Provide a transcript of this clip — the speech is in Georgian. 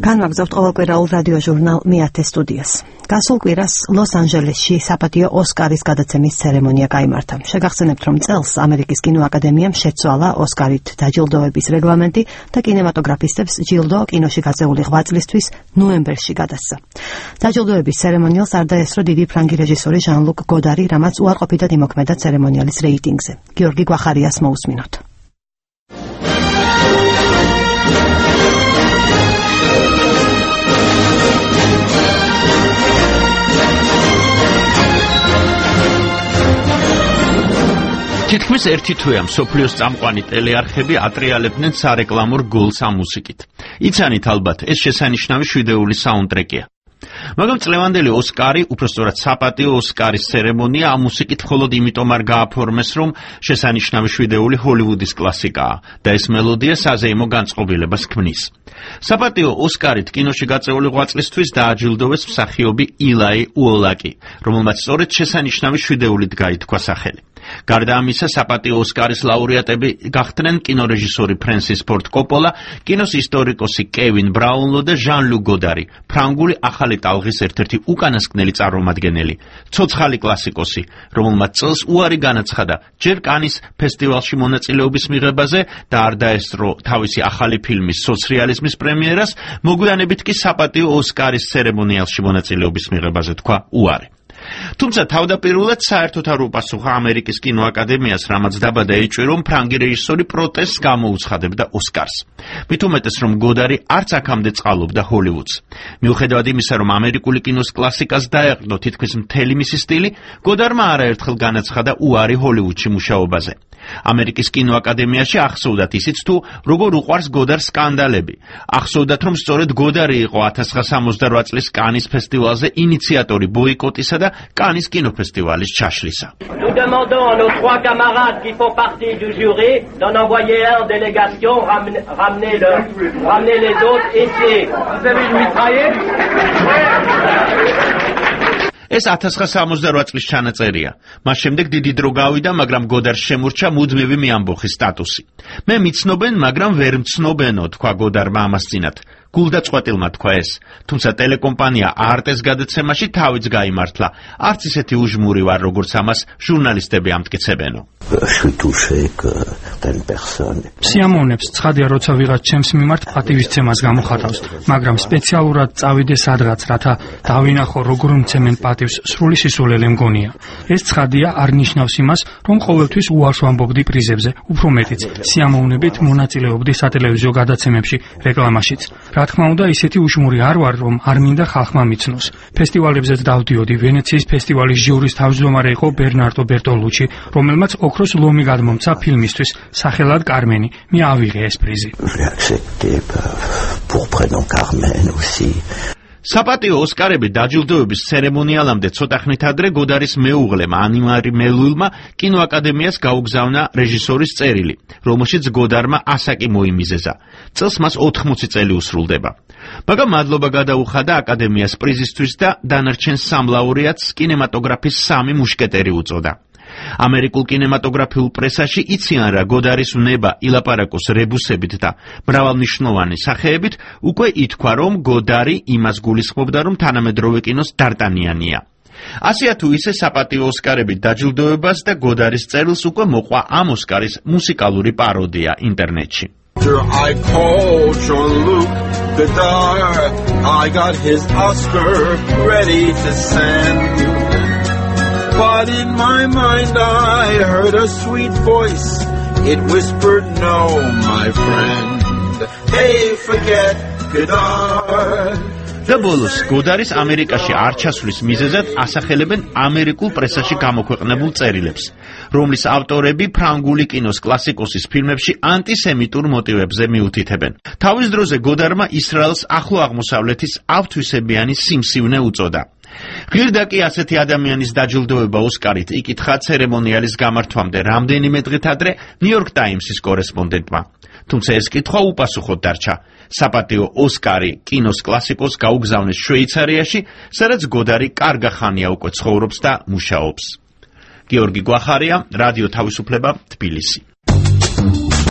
განვაგრძობთ ყოველკვირაულ რადიო ჟურნალ მეათე სტუდიას. გასულ კვირას ლოს-ანჯელესში საპატიო ოსკარის გადაცემის ცერემონია გაიმართა. შეგახსენებთ, რომ წელს ამერიკის კინოაკადემიამ შეცვალა ოსკარით დაჯილდოების რეგლამენტი და კინემატოგრაფისტებს ჯილდო კინოში გაწეული ღვაწლისთვის ნოემბერში გადასცა. დაჯილდოების ცერემონიალს არ დაესწრო დიდი ფრანგი რეჟისორი ჟან-ლუკ გოდარი, რამაც უარყოფითად იმოქმედა ცერემონიალის რეიტინგზე. გიორგი გვახარიას მოусმინოთ. თითქმის ერთი თვეა მსოფლიოს წამყვანი ტელეარხები ატრიალებდნენ სარეკლამურ გოლს ამ მუსიკით. იცანით ალბათ, ეს შესანიშნავი შვიდეული საუნდტრეკია. მაგრამ წლევანდელი ოსკარი, უпростоრად საპატიო ოსკარის ცერემონია ამ მუსიკით მხოლოდ იმიტომ არ გააფორმეს, რომ შესანიშნავი შვიდეული ჰოლივუდის კლასიკაა და ეს მელოდია საზეიმო განწყობილებას ქმნის. საპატიო ოსკარით კინოში გაწეული ღვაწლისთვის დააჯილდოვეს მსახიობი ილაი უოლაკი, რომელმაც სწორედ შესანიშნავი შვიდეულით გაითქვა სახელი. გარდა ამისა, საპატიო ოსკარის ლაურეატები გახდნენ კინორეჟისორი ფრენსის ფორდ კოპოლა, კინოს ისტორიკოსი კევინ ბრაუნლო და ჟან-ლუკ გოდარი, ფრანგული ახალი ტალღის ერთ-ერთი უკანასკნელი წარმომადგენელი, ცოცხალი კლასიკოსი, რომელმაც წელს უარი განაცხადა ჯერ კანის ფესტივალში მონაწილეობის მიღებაზე და არ დაესწრო თავისი ახალი ფილმის სოციალიზმის პრემიერას, მოგვიანებით კი საპატიო ოსკარის ცერემონიალში მონაწილეობის მიღებაზე თქვა უარი. თუმცა თავდაპირველად საერთოდ არ უპასუხა ამერიკის კინოაკადემიას, რამაც დაბადა ეჭვი, რომ ფრანგი რეჟისორი პროტესტს გამოუცხადებდა ოსკარს. მით უმეტეს, რომ გოდარი არც აქამდე წყალობდა ჰოლივუდს. მიუხედავად იმისა, რომ ამერიკული კინოს კლასიკას დაეყრდო თითქმის მთელი მისი სტილი, გოდარმა არაერთხელ განაცხადა უარი ჰოლივუდში მუშაობაზე. ამერიკის კინოაკადემიაში ახსოვდათ ისიც თუ როგორ უყვარს გოდარს სკანდალები. ახსოვდათ, რომ სწორედ გოდარი იყო 1968 წლის კანის ფესტივალზე ინიციატორი ბოიკოტისა და კანის კინოფესტივალის ჩაშლისა. Nous demandons à nos trois camarades qui font partie du jury d'en envoyer en délégation, ramener les autres ici. Vous avez une mitraillette? ეს 1968 წლის ჩანაწერია. მას შემდეგ დიდი დრო გავიდა, მაგრამ გოდარს შემურჩა მუდმივი მეამბოხის სტატუსი. მე მიცნობენ, მაგრამ ვერ მცნობენო, თქვა გოდარმა ამას წინათ. გულდაწყვეტილმა თქვა ეს. თუმცა ტელეკომპანია არტეს გადაცემაში თავიც გაიმართლა. არც ისეთი უჟმური ვარ, როგორც ამას ჟურნალისტები ამტკიცებენო. სიამოვნებს ცხადია, როცა ვიღაც ჩემს მიმართ პატივისცემას გამოხატავს, მაგრამ სპეციალურად წავიდე სადღაც, რათა დავინახო როგორ მცემენ პატივს, სრული სისულელე მგონია. ეს ცხადია არ ნიშნავს იმას, რომ ყოველთვის უარს ვამბობდი პრიზებზე, უფრო მეტიც, სიამოვნებით მონაწილეობდი სატელევიზიო გადაცემებში, რეკლამაშიც. რა თქმა უნდა, ისეთი უჟმური არ ვარ, რომ არ მინდა ხალხმა მიცნოს. ფესტივალებზეც დავდიოდი. ვენეციის ფესტივალის ჟიურის თავმჯდომარე იყო ბერნარდო ბერტოლუჩი, რომელმაც ოქროს ლომი გადმომცა ფილმისთვის, სახელად კარმენი. მე ავიღე ეს პრიზი. საპატიო ოსკარები დაჯილდოების ცერემონიალამდე ცოტა ხნით ადრე გოდარის მეუღლემ ანიმარი მელულმა კინოაკადემიას გაუგზავნა რეჟისორის წერილი, რომელშიც გოდარმა ასაკი მოიმიზეზა. წელს მას 80 წელი უსრულდება. მაგრამ მადლობა გადაუხადა აკადემიას პრიზისთვის და დანარჩენ სამ ლაურეატს კინემატოგრაფის 3 მუშკეტერი უწოდა. ამერიკულ კინემატოგრაფიულ პრესაში იციან რა გოდარის უნება ილაპარაკოს რებუსებით და მრავალნიშნოვანი სახეებით, უკვე ითქვა, რომ გოდარი იმას გულისხმობდა, რომ თანამედროვე კინოს დარტანიანია. ასეა თუ ისე საპატიო ოსკარებით დაჯილდოებას და გოდარის წერილს უკვე მოყვა ამ ოსკარის მუსიკალური პაროდია ინტერნეტში. I called Jean-Luc Godard. I got his Oscar ready to send. But in my mind I heard a sweet voice. It whispered, no, my friend. Hey, forget Godard. და ბოლოს გოდარის ამერიკაში არ ჩასვლის მიზეზად ასახელებენ ამერიკულ პრესაში გამოქვეყნებულ წერილებს, რომლის ავტორები ფრანგული კინოს კლასიკოსის ფილმებში ანტისემიტურ მოტივებზე მიუთითებენ. თავის დროზე გოდარმა ისრაელს ახლო აღმოსავლეთის ავთვისებიანი სიმსივნე უწოდა. ღირდა კი ასეთი ადამიანის დაჯილდოება ოსკარით იკითხა ცერემონიალის გამართვამდე რამდენიმე დღით ადრე ნიუ-იორკ ტაიმსის კორესპონდენტმა. თუმცა ეს კითხვა უპასუხოდ დარჩა. საპატიო ოსკარი კინოს კლასიკოს გაუგზავნეს შვეიცარიაში, სადაც გოდარი კარგა ხანია უკვე ცხოვრობს და მუშაობს. გიორგი გვახარია, რადიო თავისუფლება, თბილისი.